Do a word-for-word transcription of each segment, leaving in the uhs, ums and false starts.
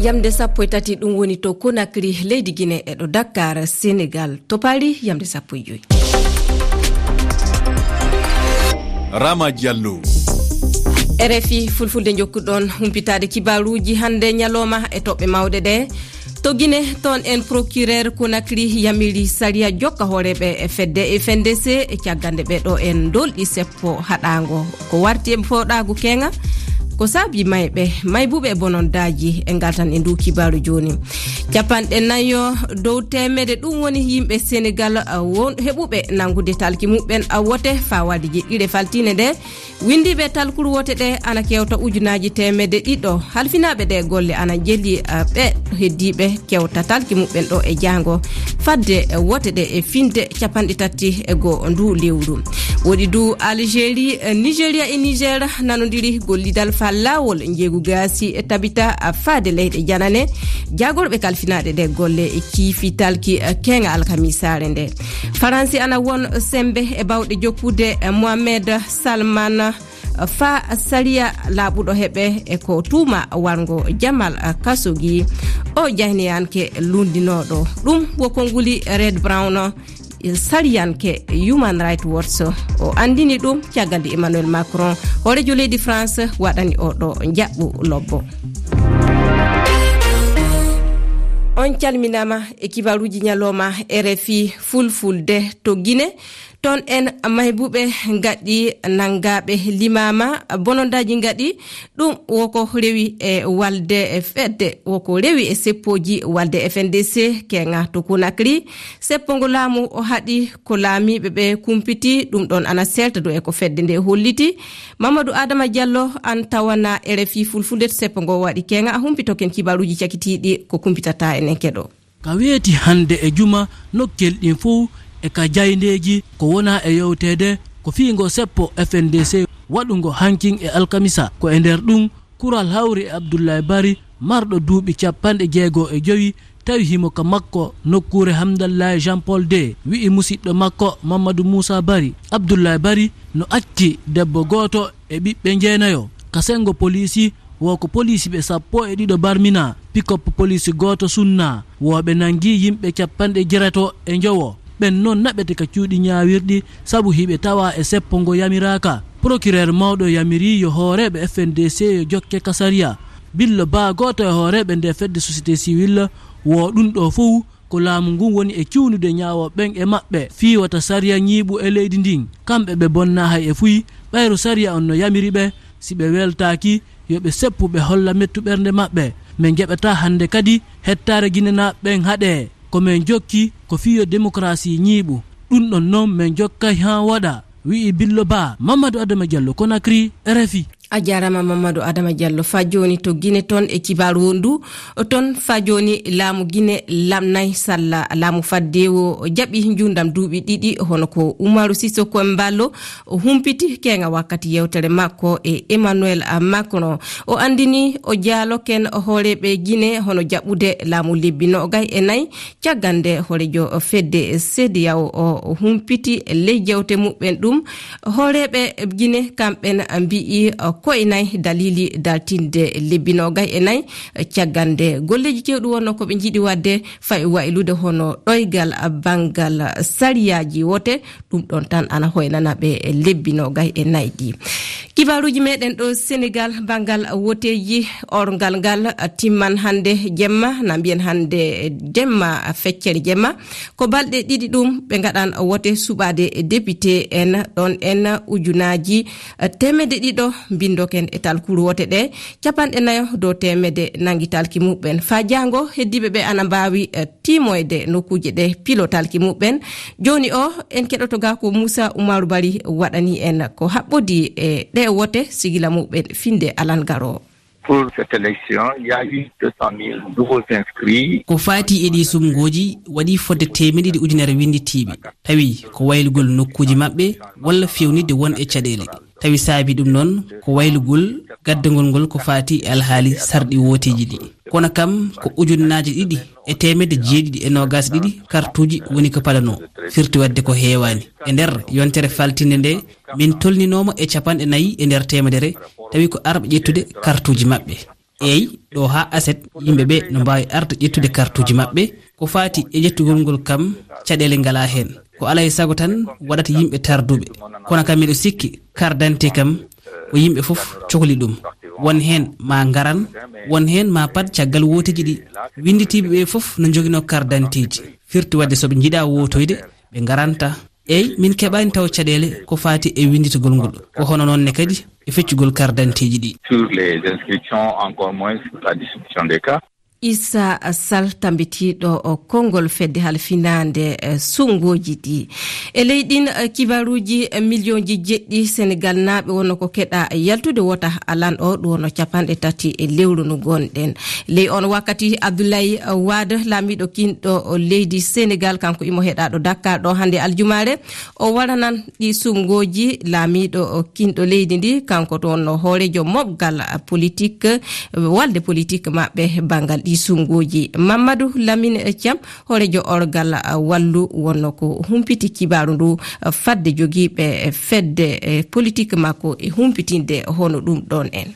Yamde sappo e tati, ɗum woni to Conakry, leydi Guinée, e ɗo Dakar, Sénégal, to Paris, yamde sappo e joy. Rama Diallo. R F I Fulfulde, jokkuɗon humpitaade kibaaruuji hannde ñalooma e toɓɓe mawɗe ɗe. To Guinée, toon en, procureur Conakry yamiri sariya jokka hooreeɓe e fedde F N D C e caggal nde ɓe ɗo en dolɗi seppo haɗaango. Ko warti e fooɗaagu keeŋa, ko saabi mayɓe, maybuɓe e bonondaaji, e ngal tan e ndu kibaaru jooni. Capanɗe nayo dow teemede, ɗum woni yimɓe Senegal, a, won heɓuɓe nanngude talki muɓɓen, a, wote faawaade jeɗɗiɗe faltiinde nde. Winndiiɓe talkuru wote ɗe ana kewta ujunaaji teemedde ɗiɗo. Halfinaaɓe ɗe golle ana jeli, a, ɓe heddiiɓe kewta talki muɓɓen ɗo e jaango fadde, e, wote ɗe e finde capanɗe tati e goo ndu lewru. Woɗi du Algérie, e, Nigeria e Niger nanondiri gollidal faa laawol njeegu gaasi e tabita, a, faade leyɗe janane. Jaagorɓe kalfinaaɗe ɗe golle e ciifi talki, e, keeŋa alkamisaare nde. Faransi ana won sembe e bawɗe jokkude, e, Mohamed Salman faa sariya laaɓuɗo heɓe e ko tuuma warngo Jamal Khashoggi, o jahniyanke lunndinooɗo. Ɗum wo konnguli Red Brown, sariyanke Human Rights Watch, o anndini ɗum caggal nde Emmanuel Macron, hooreejo leydi France, waɗani oɗo njaɓɓu lobbo. On calminaama e kibaaruuji ñalooma R F I Fulfulde to Guinée. Toon en, maybuɓe ngaɗi, nanngaaɓe limaama, bonondaaji ngaɗi. Ɗum woko rewi e walde e fedde, woko rewi e seppooji walde F N D C keeŋa to Conakry. Seppo ngo laamu o haɗi, ko laamiiɓe ɓe kumpiti, ɗum ɗoon ana seelta dow e ko fedde nde holliti. Mamadou Adama Diallo, an tawana R F I Fulfulde to seppo ngo waɗi keeŋa, a humpitoken kibaaruuji cakitiiɗi ko kumpitata enen keɗo. Ka weeti hannde e juma, nokkel ɗin fow e ka jayndeeji ko wona e yewteede, ko fii ngo seppo F N D C waɗungo hankin e alkamisa. Ko e nder ɗum, kural hawri e Abdoulaye Bari, marɗo duuɓi capanɗe jeego e jowi, tawi himo ka makko nokkuure Hamdallahi Jean Paul deux, wi'i musiɗɗo makko Mamadou Moussa Bari. Abdoulaye Bari no acci debbo gooto e ɓiɓɓe njeenayo. Ka senngo poliisi, wo ko poliisi ɓe sappo e ɗiɗo barminaa, pikop poliisi gooto sunnaa, wo ɓe nanngi yimɓe capanɗe jeetato e njowo. Ɓen non naɓete ka cuuɗi ñaawirɗi sabu hiɓe tawaa e seppo ngo yamiraaka. Procureur mawɗo yamirii yo hooreeɓe F N D C yo jokke ka sariya. Billo Ba, gooto e hooreeɓe nde fedde société civile, wo ɗum ɗo fow ko laamu ngun woni e cuunude ñaawooɓe ɓen e maɓɓe fii wota sariya ñiiɓu e leydi ndin. Kamɓe ɓe bonnaa hay e fuy, ɓayru sariya on no yamiri ɓe, si ɓe weltaaki, yo ɓe seppu ɓe holla mettu ɓernde maɓɓe. Men jaɓataa hannde kadi hettaare Ginenaaɓe ɓen haɗee. Ko men jokki ko fii yo demokarasi ñiiɓu. Ɗum ɗon non men jokkay haa waɗa, wi'i Billo Ba. Mamadou Adama Diallo, Conakry, R F I. A jaaraama, Mamadou Adama Diallo. Faa jooni to Gine toon e kibaaru ndu, toon faa jooni laamu Gine lamnay salla laamu faddeewo jaɓi njuundam duuɓi ɗiɗi, hono ko Umaru Sisoko Embaló o humpiti keeŋa wakkati yewtere makko e Emmanuel Macron. O anndini o jaaloken hooreeɓe Gine hono jaɓɓude laamu lebbi noogay e nayi. Caggal nde hooreejo fedde CEDEAO o humpiti ley jewte muɓɓen ɗum, hooreeɓe Gine kamɓen mbi'i ko e nayi daliili dartinde lebbi noogay e nayi. Caggal nde golleeji keewɗi wonno ko ɓe njiɗi waɗde, fayi waylude hono ɗoygal banngal sariyaaji wote, ɗum ɗon tan ana hoynana ɓe lebbi noogay e nayi ɗi. Kibaaruuji meɗen ɗo Senegal, banngal woteeji, orngal ngal timman hannde jemma, na mbiyen hannde jemma, feccere jemma. Ko balɗe ɗiɗi ɗum ɓe ngaɗan wote suɓaade député en ɗon en ujunaaji teemedde ɗiɗo mbinndoken e talkuru wote ɗe, capanɗe nayo dow teemedde nanngi talki muɓɓen. Faa jaango heddiiɓe ɓe ana mbaawi, eh, tiimoyde nokkuuje ɗe pilo talki muɓɓen. Jooni o, en keɗoto ga ko Moussa Oumarou Bari waɗani en ko haɓɓodii e ɗe wote sigila muɓɓen finde alan garo. Pour cette élection, il y a eu deux cent mille nouveaux inscrits. Ko faati e ɗii sumngooji, waɗi fodde teemedde ɗiɗi ujunere winnditiiɓe. Tawi ko waylugol nokkuuji maɓɓe walla fewnitde won e caɗeele. Tawi saabi ɗum noon ko waylugol gaddangol ngol ko faati e alhaali sarɗi wooteeji ɗi. Kono kam ko ujunnaaje ɗiɗi e teemedde jeeɗiɗi e noogaas ɗiɗi kartuuji woni ko palanoo. Firti waɗde ko heewaani. E nder yontere faltinde nde, min tolninooma e capanɗe nayi e nder teemedere, tawi ko arɓe ƴettude kartuuji maɓɓe. Eey, ɗo haa aset, yimɓe ɓe no mbaawi arde ƴettude kartuuji maɓɓe. Ko faati e ƴettugol ngol kam, caɗeele ngalaa heen. Ko alaa e sago tan waɗata yimɓe tarduɓe. Kono kam miɗo sikki, carte d'identité kam, ko yimɓe fof cokli ɗum. Won heen ma ngaran, won heen ma pad caggal wooteeji ɗi. Winnditiiɓe ɓe fof no njoginoo carte d'identitéeji. Firti waɗde so ɓe njiɗaa wootoyde, ɓe ngaranta. Eey, min keɓaani taw caɗeele ko faati e winnditagol ngol. Ko hono noon ne kadi e feccugol carte d'identitéeji ɗi. Sur les inscriptions, encore moins sur la distribution des cartes. Issa Sall, tambitiiɗo o konngol fedde halfinaande, eh, suɓngooji ɗi. E ley ɗin, eh, kibaruuji, eh, miliyonji jeɗɗi Senegal naaɓe wonno ko keɗa yaltude wota alan o, ɗum wonno capanɗe tati e lewru no gonɗen. Ley on wakkati, Abdoulaye Wade, laamiiɗo kinɗo o leydi Senegal, kanko imo heɗaɗo Dakar ɗo hannde aljumaare. O waɗanan ɗi suɓngooji laamiiɗo o kinɗo leydi ndi, kanko toon no hooreejo moɓgal politik, walde politik maɓɓe banngal ɗi suɓngooji. Mamadou Lamine Thiam, hooreejo orgal Wallu, wonno ko humpiti kibaaru ndu fadde jogiiɓe fedde, eh, politik makko e humpitinde hono ɗum ɗoon en.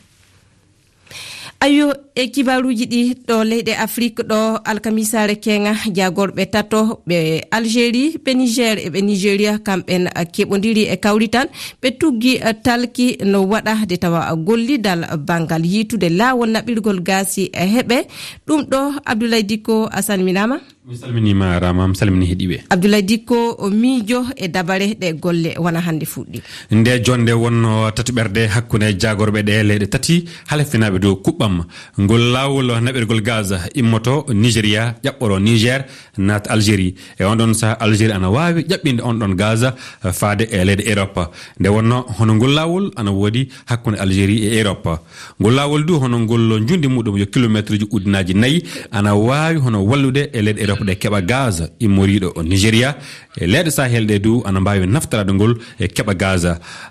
Ayo, e kibaaruuji ɗi ɗo leyɗe Afrik ɗo, alkamisaare keŋa, jaagorɓe tato, ɓe Algérie, ɓe Niger e ɓe Nigeria, kamɓen keɓondiri e kawrital, ɓe tuggi talki no waɗa de tawa gollidal banngal yiitude laawol naɓirgol gaasi e heɓe. Ɗum ɗo, Abdoulaye Dikko, a salminaama. Mi salminiima, Rama, mi salmini heɗiiɓe. Abdoulaye Dikko, o miijo e dabare ɗe golle wona hannde fuɗɗi. Nde jonde wonno tatuɓerde hakkunde jaagorɓe ɗe leyɗe tati, halfinaaɓe dow kuɓɓam. Ngol laawol naɓirgol gaz immoto Nigeria, ƴaɓɓoro Niger, naat Algérie. E on ɗon saha, Algérie ana waawi ƴaɓɓinde on ɗon gaz, eh, faade e leyɗe Europe. Nde wonno hono ngol laawol ana woodi hakkunde Algérie e Europe. Ngol laawol du hono ngol njundi muɗum yo kilomeetruuji ujunaaji nayi, ana waawi hono wallude e leyɗe Europe ɗe keɓa gaz immoriiɗo o Nigeria. E leyɗe Sahel ɗe du ana mbaawi naftoraade ngol e keɓa gaz.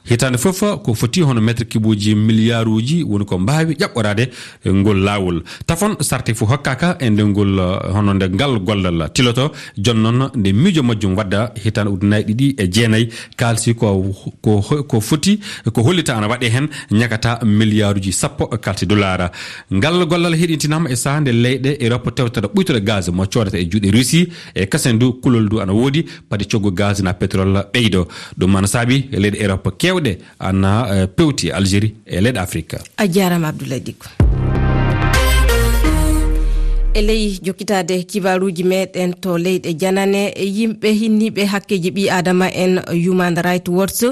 Hitaande fof ko foti hono meetir kibuuji miliyaaruuji woni ko mbaawi ƴaɓɓoraade ngol laawol. Tafon sarte fof hokkaaka e nde ngol, eh, hono nde ngal gollal tiloto. Jooni noon nde miijo majjum wadda hitaande ujunaaji ɗiɗi e jeenayi, kaalsi ko, ko, ko foti, ko hollita ana waɗe heen ñakata miliyaaruuji sappo kaalsi dolaara. Ngal gollal heɗintinaama e sahaa nde leyɗe Europe tewtata ɓuytore gaz mo coodata e juuɗe Russie, e kasen du kulol du ana woodi, padi coggu gaz na pétrole ɓeydo. Ɗum ana saabi leyɗe Europe keewɗe ana, eh, pewti Algérie e leyɗe Afrique. A jaaraama, Abdoulaye Dikko. E ley jokkitaade kibaaruuji meɗen to leyɗe janane, e yimɓe hinniiɓe hakkeeji ɓii aadama en Human Rights Watch,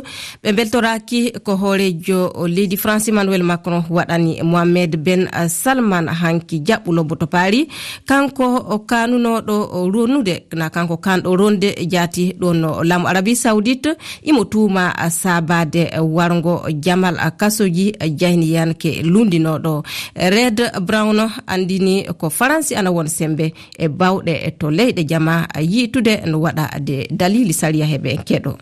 ɓe mbeltoraaki ko hooreejo leydi France Emmanuel Macron waɗani Mohamed Ben Salman hanki jaɓɓu lobbo to Paris. Kanko o kaanunooɗo ronnude, na kanko kaanɗo ronde jaati ɗon no laamu Arabie Saoudite, imo tuuma saabaade warngo jamal kasoji jahniyanke lundinooɗo. Red Brown andini ko Faransi ana won sembe e bawɗe to leyɗe jama yiitude no waɗa de dalili sariya heɓe keɗo.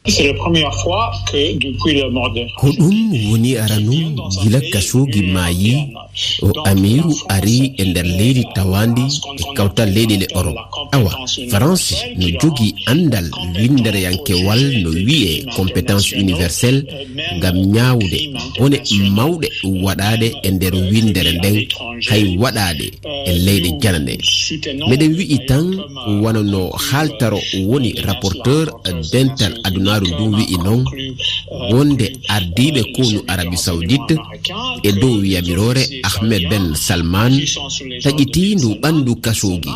C'est la première fois que depuis la mort de Ko ɗum woni aranu gila Khashoggi maayi, o amiiru ari e nder leydi tawaandi e kawtal leyɗe le Europe. Awa, France no jogii anndal winndereyankewal no wi'ee compétence universelle ngam ñaawde bone mawɗe waɗaaɗe e nder winndere nden, hay waɗaaɗe e leyɗe janane. Meɗen wi'i tan ko wano no haaltaro woni rapporteur dental adunaaru ndun wi'i non, wonde ardiiɓe konu Arabie Saoudite e dow yamiroore Ahmed Ben Salman taƴitii ndu ɓandu Khashoggi.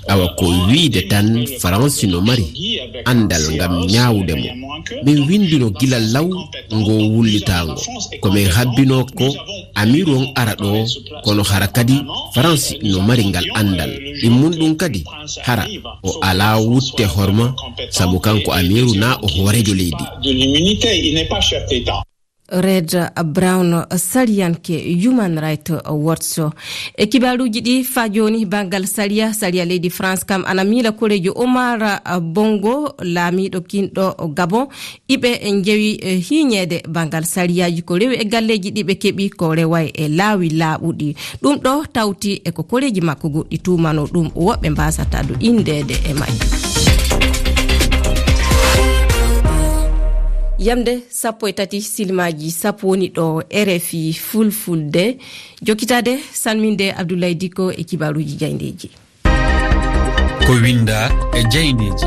Awa ko wiide tan France no mari anndal ngam ñaawude mo. Min winndino gila law ngo wullitaango. Ko min habbinoo ko amiiru on ara ɗoo, kono hara kadi France no mari ngal anndal. Ɗimmun ɗum kadi hara o alaa wutte horma, sabu kanko amiiru na o hooreejo leydi. De l'immunité, il n'est pas chef d'État. Red Brown, sariyanke Human Rights Watch. E kibaaruuji ɗi faa jooni, banngal sariya, sariya leydi France kam ana miila koreejo Omar Bongo, laamiiɗo kinɗo Gabon, iɓe njewi, eh, hiiñeede banngal sariyaaji ko rewi e galleeji ɗi ɓe keɓi ko reway e laawi laaɓuɗi. Ɗum ɗo tawti e ko koreeji makko goɗɗi tuumano ɗum, woɓɓe mbaasata du inndeede e majji. Jamde sappo e tati silmaaji sappo woni ɗo R F I Fulfulde. Jokkitaade salminde Abdoulaye Dicko e kibaaruuji jaayndeeji. Ko winnda e jaayndeeji.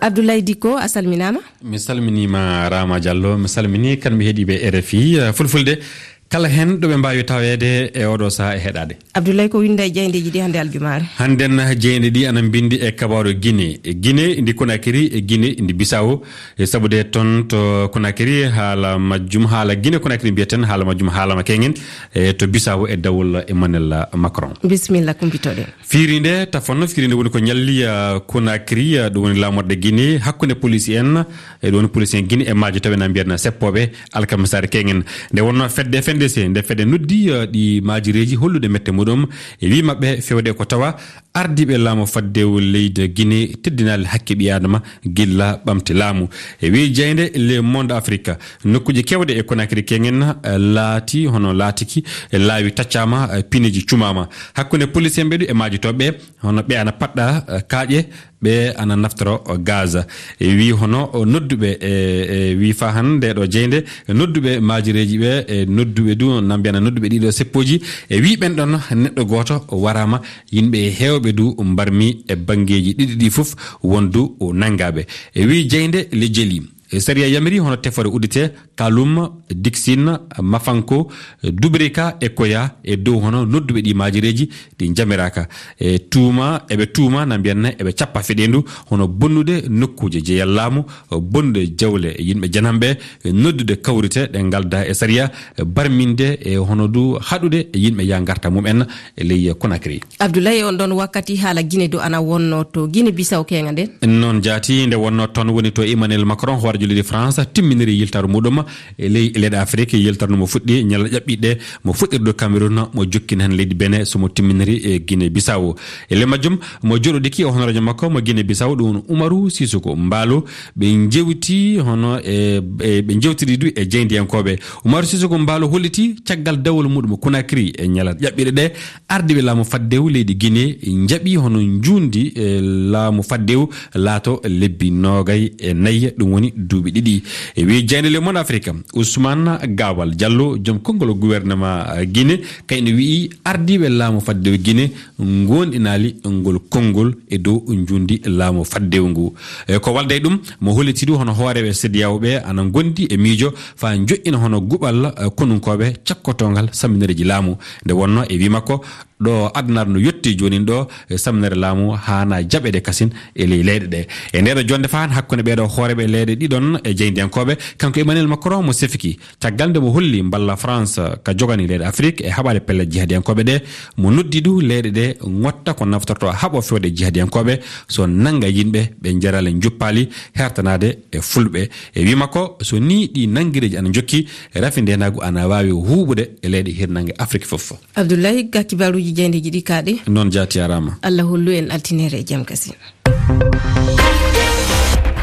Abdoulaye Dicko, a salminaama. Mi salminiima Rama Diallo, mi salminii kanɓe heɗiiɓe R F I, eh, Fulfulde. Kala heen ɗo ɓe mbaawi taweede e oɗo sahaa e heɗaade. Abdoulaye, ko winnda e jaayndeeji ɗi hannde aljumaare? Hannden jaaynde ɗi ana mbinndi e kabaaru Gine. E Gine ndi Konakiri, e Gine ndi Bisawo. E sabu de toon to Konakiri haala majjum, haala Gine Konakiri mbiyeten, haala majjum haalama keŋŋen. E to Bisawo e dawol Emmanuel Macron. Bisimilla, kumpitoɗen. Fiiri nde tafanno, fiiri nde woni ko ñalli, ah, Conakry, ah, ɗum woni laamorde Guinée, hakkunde police en, e ɗum woni police en Guinée e maajo tawi na mbiyatna seppooɓe alkamisaare keŋŋen. Nde wonnoo fedde F N D C, nde fedde noddi, ah, ɗi maajireeji hollude mette muɗum, e wii maɓɓe fewde ko tawa ardiiɓe laamu faddewu leydi Guinée teddinaali hakke ɓii aadama gilla ɓamti laamu. E wii jeynde Le Monde Afrique, nokkuuji keewɗe e Conakry keŋŋen, eh, laati hono laatiki, eh, laawi taccaama, eh, pineeji cumaama. Hakkunde police en ɓe ɗu e maajotooɓe, hono ɓe ana paɗɗa, eh, kaaƴe, ɓe ana naftoro, eh, gaz. E wii hono, oh, nodduɓe, eh, eh, wii faa hannde ɗo jeynde, eh, nodduɓe maajireeji ɓe, eh, nodduɓe du, na mbiyana nodduɓe ɗiɗo seppooji, e wii ɓen ɗon neɗɗo gooto waraama, yimɓe heewɓe du mbarmi e banngeeji ɗiɗi ɗi fof wondu nanngaaɓe. E wii jeynde Le Jeli. E sariya yamiri hono tefoore uddite Kalum, Dixine, Mafanko, Dubrika e Koya e dow hono nodduɓe ɗi maajireeji ɗi njamiraaka. E tuuma, eɓe tuuma, na mbiyanna eɓe cappa feɗeendu hono bonnude nokkuuje jeyal laamu, bonnude jawle yimɓe janamɓe, noddude kawrite ɗe ngalda e sariya, barminde e hono du haɗude yimɓe ya ngarta mum en e ley Conakry. Abdoulaye, on ɗon wakkati haala Gine du ana wonno to Gine Bisaw keŋa nden? Noon jaati, nde wonno toon woni to Emmanuel Macron, hooreejo leydi France, timminiri yiltaru muɗum e ley leyɗe Afrique. Yiltaru no mo fuɗɗi ñalla ƴaɓɓiɗe, mo fuɗɗiri ɗo Cameroun, mo jokkini heen leydi Benin, so mo timminiri e Gine Bisaw. E le majjum, mo jooɗodiki e honoreejo makko mo Gine Bisaw, ɗum woni Umaru Sissoco Embaló, ɓe njewti hono e, e, ɓe njewtiri du e jeyndiyankooɓe. Umaru Sissoco Embaló holliti caggal dawol muɗum Conakry e ñalla ƴaɓɓiɗe ɗe, ardiiɓe laamu faddewu leydi Guinée njaɓi hono njuundi, e, laamu faddewu laato lebbi noogay e nayi, ɗum woni duuɓi ɗiɗi. E wii jeynde Le Monde Afrique, Ousmane Gawal Diallo, joom konngol gouvernement, eh, Guinée, kayno wii ardiiɓe laamu faddewu Guinée ngoonɗinaali ngol konngol e dow njuundi laamu faddewu ngu. E ko walda e ɗum, mo holliti du hono hooreeɓe CEDEAO ɓe ana ngondi e miijo faa njoƴƴina hono guɓal, eh, konunkooɓe cakkotoongal samminereeji laamu. Nde wonno e wii makko, ɗo aduna no yotti joonin ɗo, e samminere laamu haana jaɓeede kasin e ley leyɗe ɗe. E ndeeɗo jonde faan hakkunde ɓeeɗo hooreeɓe leyɗe ɗiɗon e jeyndiyankooɓe, kanko Emmanuel Macron mo sefiki, caggal nde mo holli mballa France ka jogani leyɗe Afrique e haɓaade pelle jihadiyankooɓe ɗe, mo noddi du leyɗe ɗe ngotta ko naftorto haɓo fewde jihadiyankooɓe, so nannga yimɓe ɓe njaraali njuppaali hertanaade e fulɓe. E wii makko, so nii ɗi nanngireeji ana njokki, rafi ndeenaagu ana waawi huuɓude e leyɗe hirnaange Afrique fof. Abdoulaye, ga kibaaruuji jeyndeeji ɗi kaaɗi. Noon jaati, jaaraama. Allah hollu en altiniere e jam kasin.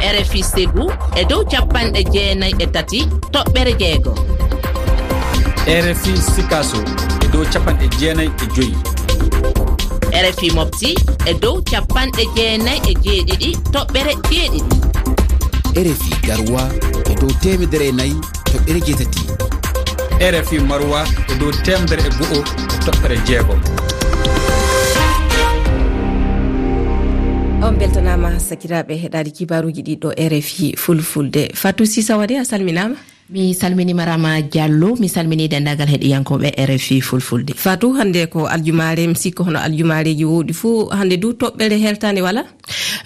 R F I Ségou e dow capanɗe jeenayi e tati toɓɓere jeego. R F I Sikaso e dow capanɗe jeenayi e joyi. R F I Mopti e dow capanɗe jeenayi e jeeɗiɗi toɓɓere jeeɗiɗi. R F I Garoua e dow teemedere e nayi toɓɓere jeetati. R F I Maroua e dow teemedere e go'o e toɓɓere jeegom. On mbeltanaama, sakiraaɓe heɗaade kibaaruuji ɗi ɗo R F I Fulfulde. Fatou Sisa Wade, a salminaama. Mi salminiima Rama Diallo, mi salminii denndaangal heɗiyankooɓe R F I Fulfulde. Fatou, hannde ko aljumaare, mi sikko hono aljumaareeji woowɗi fuu, hannde du toɓɓere heltaande wala?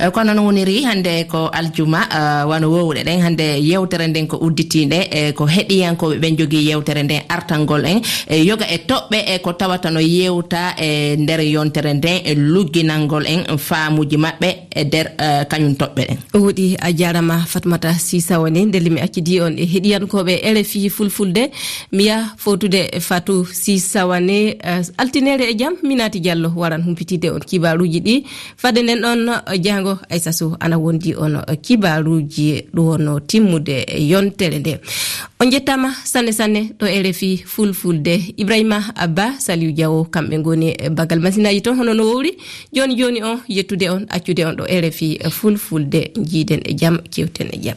Eh, kono no woniri, hannde ko aljuma, eh, wano woowɗe ɗen, hannde yewtere nden ko udditiinde, eh, ko heɗiyankooɓe ɓen jogii yewtere nden artangol en, eh, yoga e toɓɓe, eh, ko tawata no yewta e nder yontere nden, eh, lugginangol en faamuuji maɓɓe e nder, eh, kañum toɓɓe ɗen. Woɗi, a jaarama Fatmata Sisa Wane, ndelle mi accidi on e heɗiyankooɓe R F I Fulfulde, mi yaha fowtude Fatou Sisa Wane, eh, altinere e jam, Minati Diallo waran humpitide on kibaaruuji ɗi. Fadde nden ɗon, jaango Aissa Sow ana wondi on kibaaruuji ɗo wonno timmude yontere nde. On njettaama sanne sanne ɗo R F I Fulfulde. Ibrahima Abba, Saliou Diawo, kamɓe ngoni e bagal masinaaji toon hono no wowri. Jooni jooni o, yettude on, accude on ɗo R F I Fulfulde. Njiiden e jam, kewten e jam.